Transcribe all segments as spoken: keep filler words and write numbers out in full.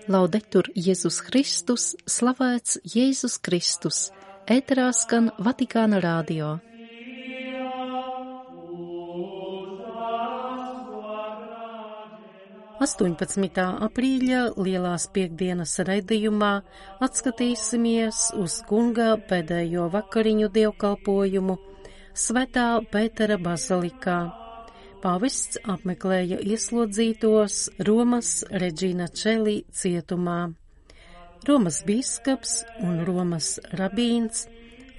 Laudetur Jēzus Kristus, slavēts Jēzus Kristus, ēterā skan Vatikāna radio. astoņpadsmitā aprīļa lielās piekdienas raidījumā atskatīsimies uz kunga pēdējo vakariņu dievkalpojumu Svētā Pētera bazilikā. Pāvests apmeklēja ieslodzītos Romas Regina Coeli cietumā. Romas bīskaps un Romas rabīns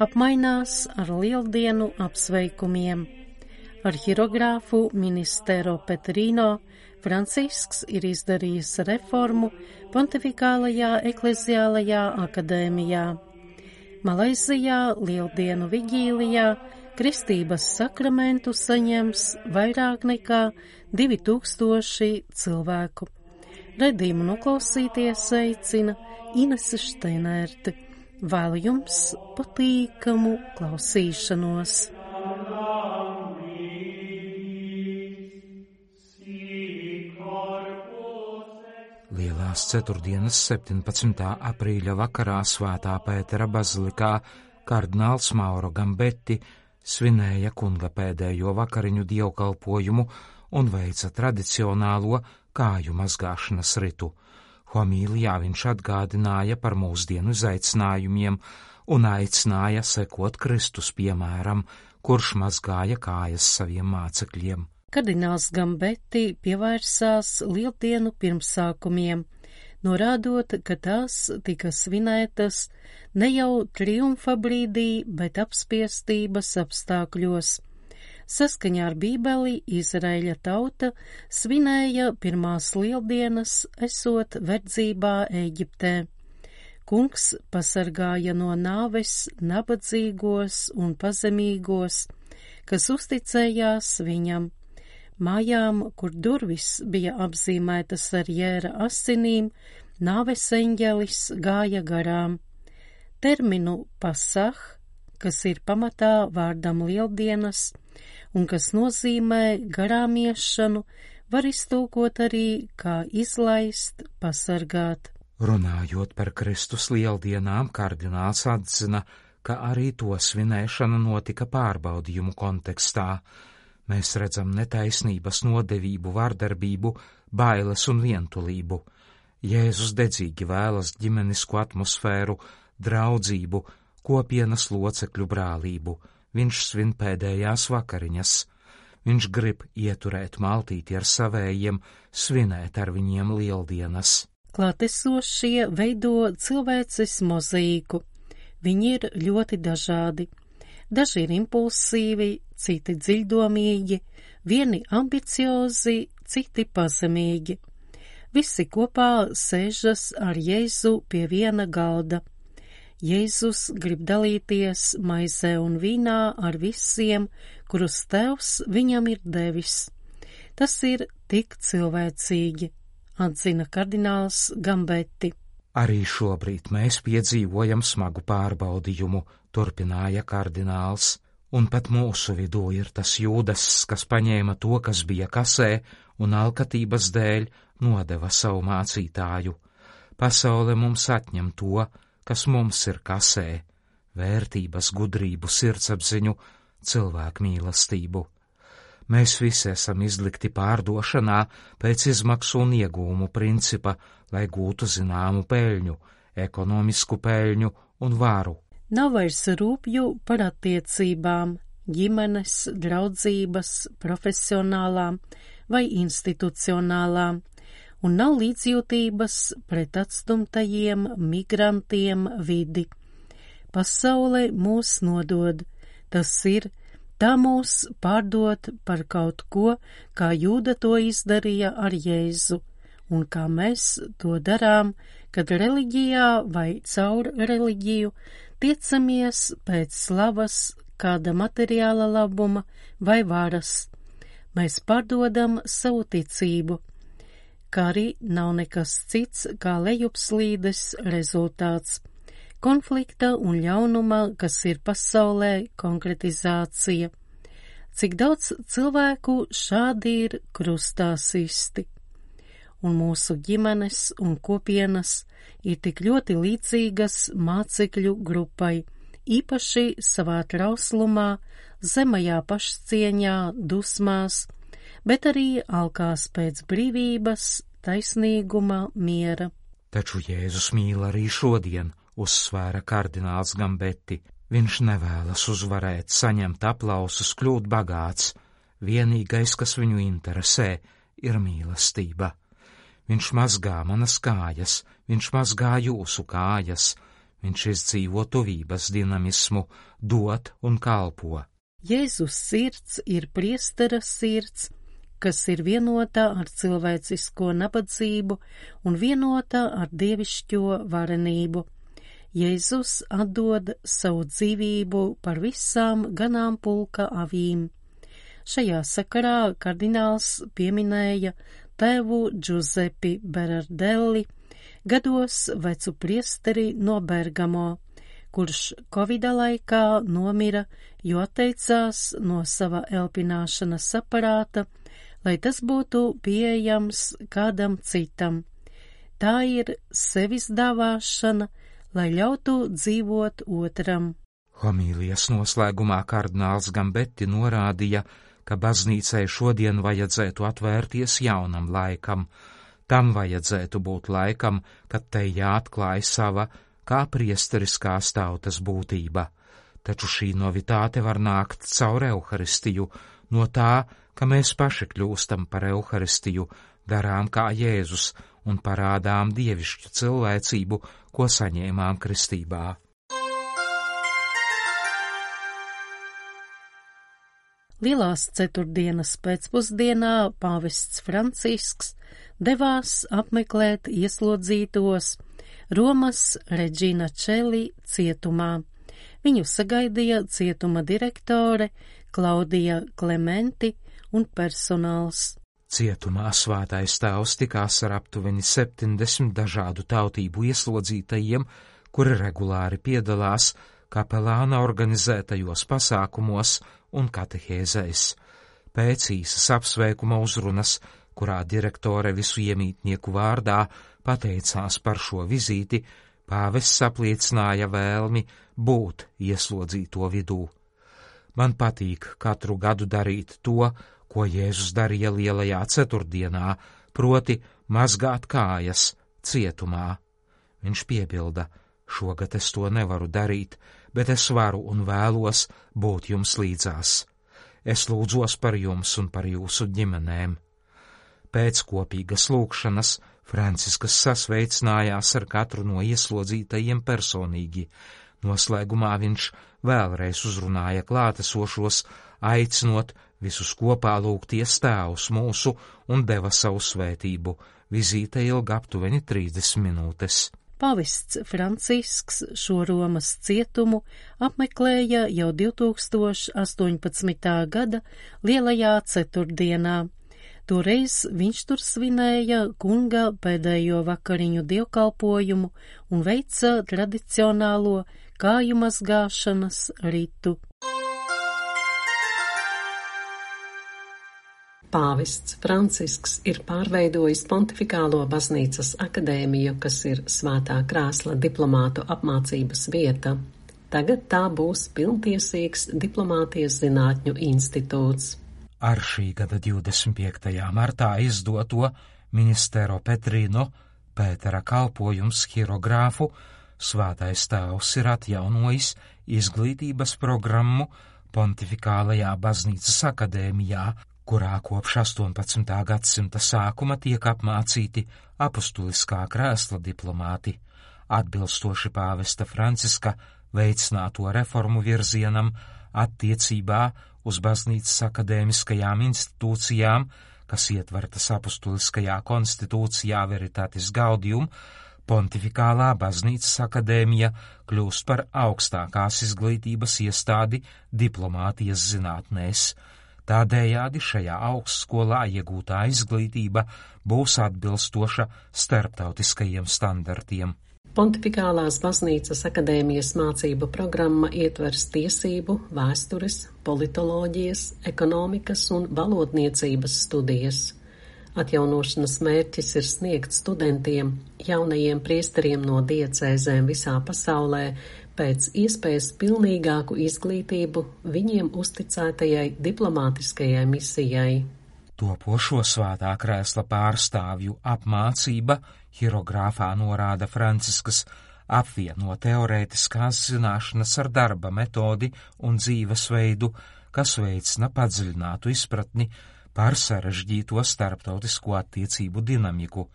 apmainās ar lieldienu apsveikumiem. Arhirogrāfu Ministero Petrino Francisks ir izdarījis reformu Pontifikālajā ekleziālajā akadēmijā. Malaizijā lieldienu vigīlijā Kristības sakramentu saņems vairāk nekā divi tūkstoši cilvēku. Raidījumu noklausīties aicina Inese Šteinērte. Vēlu jums patīkamu klausīšanos. Lielās ceturtdienas septiņpadsmitā aprīļa vakarā Svētā Pētera bazilikā kardināls Mauro Gambetti svinēja kunga pēdējo vakariņu dievkalpojumu un veica tradicionālo kāju mazgāšanas ritu. Homīlijā viņš atgādināja par mūsdienu izaicinājumiem un aicināja sekot Kristus piemēram, kurš mazgāja kājas saviem mācekļiem. Kardināls Gambetti pievērsās lieldienu pirmsākumiem, norādot, ka tās tika svinētas ne jau triumfa brīdī, bet apspiestības apstākļos. Saskaņā ar Bībeli Izraēļa tauta svinēja pirmās lieldienas, esot verdzībā Ēģiptē. Kungs pasargāja no nāves nabadzīgos un pazemīgos, kas uzticējās viņam. Mājām, kur durvis bija apzīmētas ar jēra asinīm, nāves eņģelis gāja garām. Terminu pasah, kas ir pamatā vārdam lieldienas un kas nozīmē garām iešanu, var iztulkot arī kā izlaist, pasargāt. Runājot par Kristus lieldienām, kardināls atzina, ka arī to svinēšana notika pārbaudījumu kontekstā. Mēs redzam netaisnības nodevību, vardarbību, bailes un vientulību. Jēzus dedzīgi vēlas ģimenisku atmosfēru, draudzību, kopienas locekļu brālību. Viņš svin pēdējās vakariņas. Viņš grib ieturēt maltīti ar savējiem, svinēt ar viņiem lieldienas. Klātesošie veido cilvēces mozaīku. Viņi ir ļoti dažādi. Daži ir impulsīvi, citi dziļdomīgi, vieni ambiciozi, citi pazemīgi. Visi kopā sēžas ar Jēzu pie viena galda. Jēzus grib dalīties maizē un vīnā ar visiem, kurus Tevs viņam ir devis. Tas ir tik cilvēcīgi, atzina kardināls Gambetti. Arī šobrīd mēs piedzīvojam smagu pārbaudījumu, turpināja kardināls, un pat mūsu vidū ir tas Jūdas, kas paņēma to, kas bija kasē, un alkatības dēļ nodeva savu mācītāju. Pasaule mums atņem to, kas mums ir kasē, vērtības, gudrību, sirdsapziņu, cilvēku mīlestību. Mēs visi esam izlikti pārdošanā pēc izmaksu un iegūmu principa, lai gūtu zināmu peļņu, ekonomisku peļņu un varu. Nav vairs rūpju par attiecībām, ģimenes, draudzības, profesionālām vai institucionālām, un nav līdzjūtības pret atstumtajiem migrantiem vidi. Pasaule mūs nodod, tas ir, tā mūs pārdot par kaut ko, kā Jūda to izdarīja ar Jēzu, un kā mēs to darām, kad reliģijā vai caur reliģiju tiecamies pēc slavas, kāda materiāla labuma vai varas. Mēs pārdodam savu ticību, kā arī nav nekas cits kā lejupslīdes rezultāts. Konflikta un ļaunuma, kas ir pasaulē, konkretizācija. Cik daudz cilvēku šādi ir krustā sisti. un mūsu ģimenes un kopienas ir tik ļoti līdzīgas mācekļu grupai, īpaši savā trauslumā, zemajā pašcieņā, dusmās, bet arī alkās pēc brīvības, taisnīguma, miera. Taču Jēzus mīl arī šodien, uzsvēra kardināls Gambetti. Viņš nevēlas uzvarēt, saņemt aplausus, kļūt bagāts. Vienīgais, kas viņu interesē, ir mīlestība. Viņš mazgā manas kājas, viņš mazgā jūsu kājas, viņš izdzīvo tuvības dinamismu, dot un kalpo. Jēzus sirds ir priestera sirds, kas ir vienotā ar cilvēcisko nabadzību un vienotā ar dievišķo varenību. Jēzus atdod savu dzīvību par visām ganāmpulka avīm. Šajā sakarā kardināls pieminēja tēvu Giuseppe Berardelli, gados vecu priesteri no Bergamo, kurš Covida laikā nomira, jo atteicās no sava elpināšanas aparāta, lai tas būtu pieejams kādam citam. Tā ir sevis dāvāšana, lai ļautu dzīvot otram. Homīlijas noslēgumā kardināls Gambetti norādīja, ka baznīcai šodien vajadzētu atvērties jaunam laikam. Tam vajadzētu būt laikam, kad te jāatklāj sava kā priesteriskās tautas būtība. Taču šī novitāte var nākt caur Euharistiju, no tā, ka mēs paši kļūstam par Euharistiju, darām kā Jēzus un parādām dievišķu cilvēcību, ko saņēmām kristībā. Lielās ceturtdienas pēcpusdienā pāvests Francisks devās apmeklēt ieslodzītos Romas Regina Čeli cietumā. Viņu sagaidīja cietuma direktore Klaudija Klementi un personāls. Cietumā svētais tēvs tikās ar aptuveni septiņdesmit dažādu tautību ieslodzītajiem, kuri regulāri piedalās kapelāna organizētajos pasākumos un katehēzēs. Pēc īsas apsveikuma uzrunas, kurā direktore visu iemītnieku vārdā pateicās par šo vizīti, pāvests apliecināja vēlmi būt ieslodzīto vidū. Man patīk katru gadu darīt to, ko Jēzus darīja lielajā ceturtdienā, proti mazgāt kājas cietumā. Viņš piebilda, šogad es to nevaru darīt, bet es varu un vēlos būt jums līdzās. Es lūdzos par jums un par jūsu ģimenēm. Pēc kopīgas lūgšanas Franciskas sasveicinājās ar katru no ieslodzītajiem personīgi. Noslēgumā viņš vēlreiz uzrunāja klātesošos, aicinot visus kopā lūgties Tēvs mūsu un deva savu svētību. Vizīte ilga aptuveni trīsdesmit minūtes. Pāvests Francisks šo Romas cietumu apmeklēja jau divi tūkstoši astoņpadsmitā gada lielajā ceturtdienā. Toreiz viņš tur svinēja kunga pēdējo vakariņu dievkalpojumu un veica tradicionālo kāju mazgāšanas ritu. Pāvests Francisks ir pārveidojis Pontifikālo baznīcas akadēmiju, kas ir svētā krēsla diplomātu apmācības vieta. Tagad tā būs pilntiesīgs diplomātijas zinātņu institūts. Ar šī gada divdesmit piektajā martā izdoto Ministero Petrino Pētera kalpojums hierogrāfu svētais tēvs ir atjaunojis izglītības programmu Pontifikālajā baznīcas akadēmijā, kurā kopš astoņpadsmitā gadsimta sākuma tiek apmācīti apustuliskā krēsla diplomāti. Atbilstoši pāvesta Franciska veicināto reformu virzienam attiecībā uz baznīcas akadēmiskajām institūcijām, kas ietvertas apustuliskajā konstitūcijā Veritatis Gaudium, Pontifikālā baznīcas akadēmija kļūst par augstākās izglītības iestādi diplomātijas zinātnēs. Tādējādi šajā augstskolā iegūtā izglītība būs atbilstoša starptautiskajiem standartiem. Pontifikālās baznīcas akadēmijas mācību programma ietvers tiesību, vēstures, politoloģijas, ekonomikas un valodniecības studijas. Atjaunošanas mērķis ir sniegt studentiem, jaunajiem priesteriem no diecēzēm visā pasaulē pēc iespējas pilnīgāku izglītību viņiem uzticētajai diplomātiskajai misijai. Topošo svētā krēsla pārstāvju apmācība hierogrāfā norāda Franciskas apvieno teorētiskās zināšanas ar darba metodi un dzīvesveidu, kas veicina padziļinātu izpratni par sarežģīto starptautisko attiecību dinamiku.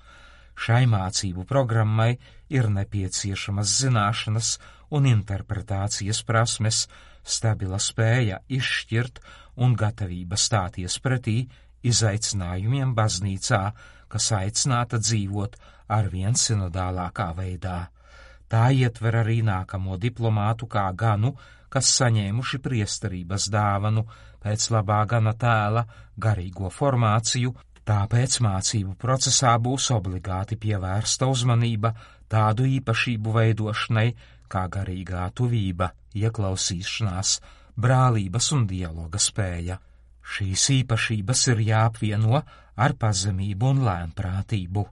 Šai mācību programmai ir nepieciešamas zināšanas un interpretācijas prasmes, stabila spēja izšķirt un gatavība stāties pretī izaicinājumiem baznīcā, kas aicināta dzīvot arvien sinodālākā veidā. Tā ietver arī nākamo diplomātu kā ganu, kas saņēmuši priesterības dāvanu pēc labā gana tēla garīgo formāciju, tāpēc mācību procesā būs obligāti pievērsta uzmanība tādu īpašību veidošanai kā garīgā tuvība, ieklausīšanās, brālības un dialoga spēja. Šīs īpašības ir jāapvieno ar pazemību un lēnprātību.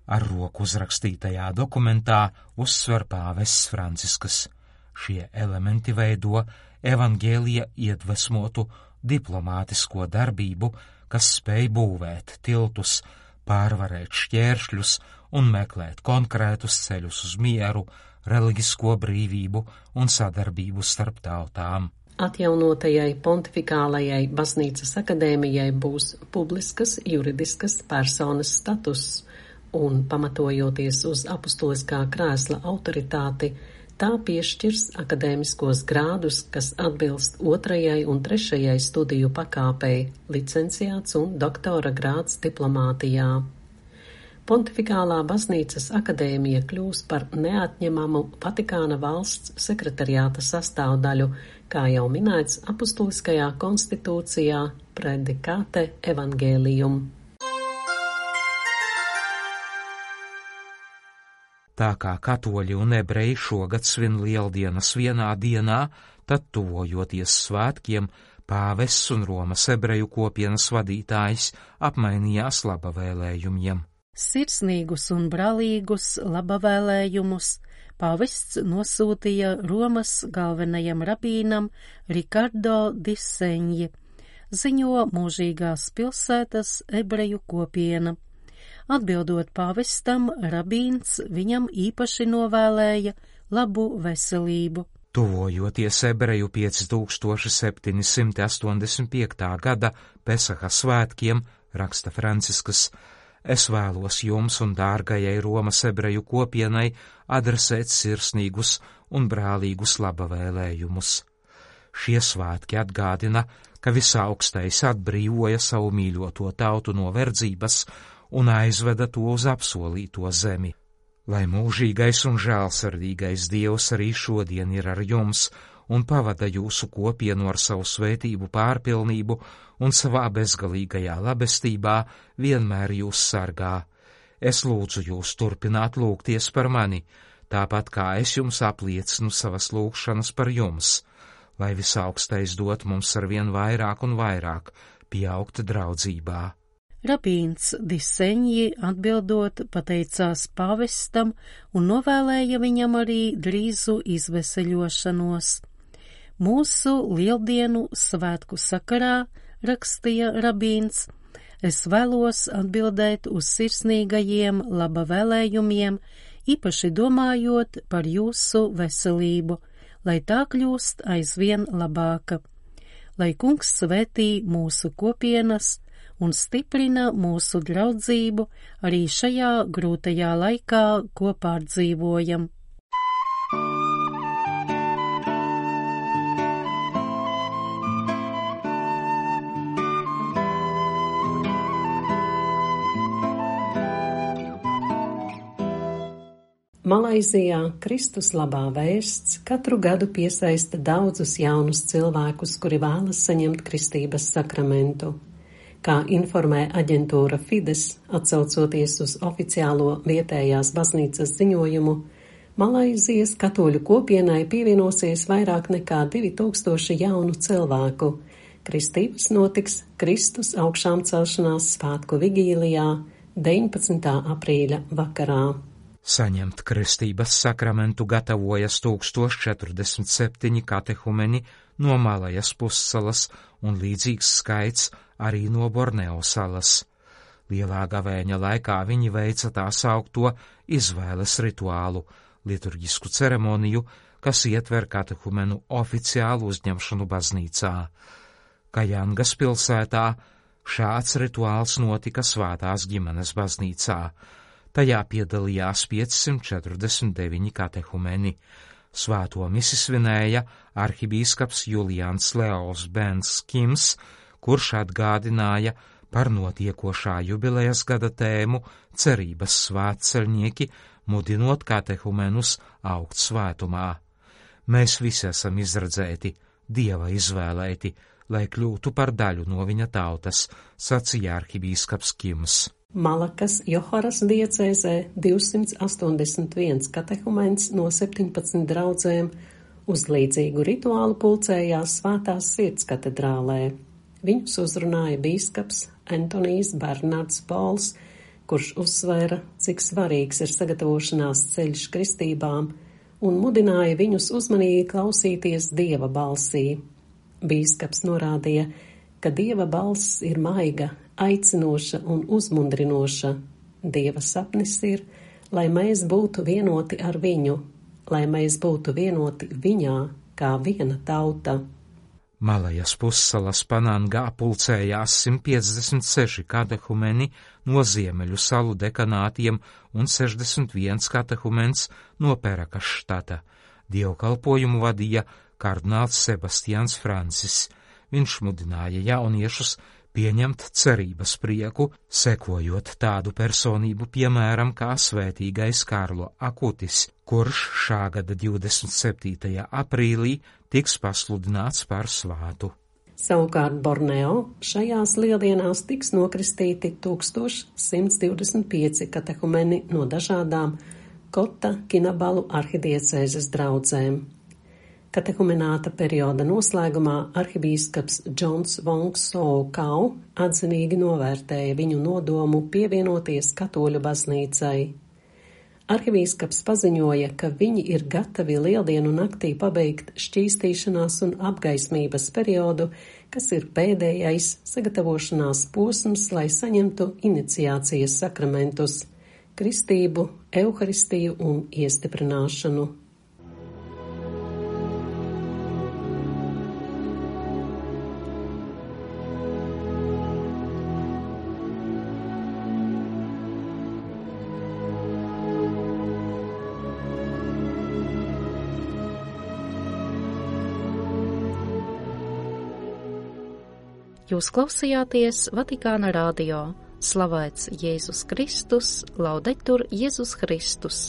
Ar roku uzrakstītajā dokumentā uzsver pāvests Franciskas. Šie elementi veido evaņģēlija iedvesmotu diplomātisko darbību, kas spēj būvēt tiltus, pārvarēt šķēršļus un meklēt konkrētus ceļus uz mieru, reliģisko brīvību un sadarbību starp tautām. Atjaunotajai pontifikālajai baznīcas akadēmijai būs publiskas juridiskas personas status, un, pamatojoties uz apustuliskā krēsla autoritāti, tā piešķirs akadēmiskos grādus, kas atbilst otrajai un trešajai studiju pakāpei, licenciāts un doktora grāds diplomātijā. Pontifikālā baznīcas akadēmija kļūs par neatņemamu Vatikāna valsts sekretariāta sastāvdaļu, kā jau minēts apustuliskajā konstitūcijā Predikate Evangelium. Tā kā katoļi un ebreji šogad svin lieldienas vienā dienā, tad tuvojoties svētkiem, pāvests un Romas ebreju kopienas vadītājs apmainījās labavēlējumiem. Sirsnīgus un brālīgus labavēlējumus pāvests nosūtīja Romas galvenajam rabīnam Rikardo di Senji, ziņo mūžīgās pilsētas ebreju kopiena. Atbildot pāvestam, rabīns viņam īpaši novēlēja labu veselību. Tuvojoties ebreju pieci tūkstoši septiņi simti astoņdesmit piekta gada Pesaha svētkiem, raksta Franciskas, es vēlos jums un dārgajai Romas ebreju kopienai adresēt sirsnīgus un brālīgus labavēlējumus. Šie svētki atgādina, ka visaugstais atbrīvoja savu mīļoto tautu no verdzības un aizveda to uz apsolīto zemi. Lai mūžīgais un žēlsirdīgais Dievs arī šodien ir ar jums un pavada jūsu kopienu ar savu svētību pārpilnību un savā bezgalīgajā labestībā vienmēr jūs sargā. Es lūdzu jūs turpināt lūgties par mani, tāpat kā es jums apliecinu savas lūgšanas par jums, lai visaugstais dot mums arvien vairāk un vairāk pieaugt draudzībā. Rabīns di Senji atbildot pateicās pāvestam un novēlēja viņam arī drīzu izveseļošanos. Mūsu lieldienu svētku sakarā, rakstīja rabīns, es vēlos atbildēt uz sirsnīgajiem labavēlējumiem, īpaši domājot par jūsu veselību, lai tā kļūst aizvien labāka. Lai kungs svētī mūsu kopienas un stiprina mūsu draudzību arī šajā grūtajā laikā, ko pārdzīvojam. Malaizijā Kristus labā vēsts katru gadu piesaista daudzus jaunus cilvēkus, kuri vēlas saņemt kristības sakramentu. Kā informē aģentūra Fides, atsaucoties uz oficiālo vietējās baznīcas ziņojumu, Malaizijas katoļu kopienai pievienosies vairāk nekā divi tūkstoši jaunu cilvēku, Kristības notiks Kristus augšām celšanās svētku vigīlijā deviņpadsmitā aprīļa vakarā. Saņemt kristības sakramentu gatavojas tūkstoš četrdesmit septiņi katehumeni no Malajas pussalas un līdzīgs skaits arī no Borneo salas. Lielā gavēņa laikā viņi veica tā saukto izvēles rituālu, liturģisku ceremoniju, kas ietver katehumenu oficiālu uzņemšanu baznīcā. Kajangas pilsētā šāds rituāls notika Svētās ģimenes baznīcā. Tajā piedalījās piecsimt četrdesmit deviņi katehumeni. Svēto misi svinēja arhibīskaps Julians Leos Bens Kims, kurš atgādināja par notiekošā jubilejas gada tēmu cerības svētceļnieki, mudinot katehumenus augt svētumā. Mēs visi esam izredzēti, Dieva izvēlēti, lai kļūtu par daļu no viņa tautas, sacīja arhibīskaps Kims. Malakas Joharas diecēzē divsimt astoņdesmit viens katehumens no septiņpadsmit draudzēm uz līdzīgu rituālu pulcējās Svētās Sirds katedrālē. Viņus uzrunāja bīskaps Antonijs Bernards Pols, kurš uzsvēra, cik svarīgs ir sagatavošanās ceļš kristībām un mudināja viņus uzmanīgi klausīties Dieva balsī. Bīskaps norādīja, ka Dieva balss ir maiga, aicinoša un uzmundrinoša. Dieva sapnis ir, lai mēs būtu vienoti ar viņu, lai mēs būtu vienoti viņā kā viena tauta. Malajas pussalas Panangā pulcējās simt piecdesmit seši katehumeni no Ziemeļu salu dekanātiem un sešdesmit viens katehumens no Perakas štata. Dievkalpojumu vadīja kardināls Sebastians Francis. Viņš mudināja jauniešus pieņemt cerības prieku, sekojot tādu personību piemēram kā svētīgais Karlo Akutis, kurš šā gada divdesmit septītajā aprīlī tiks pasludināts par svātu. Savukārt Borneo šajās lieldienās tiks nokristīti tūkstoš simts divdesmit pieci katehumeni no dažādām Kota Kinabalu arhidiecēzes draudzēm. Katehumenāta perioda noslēgumā arhibīskaps Džons Vongs Sou Kau atzinīgi novērtēja viņu nodomu pievienoties katoļu baznīcai. Arhibīskaps paziņoja, ka viņi ir gatavi lieldienu naktī pabeigt šķīstīšanās un apgaismības periodu, kas ir pēdējais sagatavošanās posms, lai saņemtu iniciācijas sakramentus, kristību, euharistiju un iestiprināšanu. Jūs klausījāties Vatikāna radio. Slavēts Jēzus Kristus, laudetur Jēzus Kristus.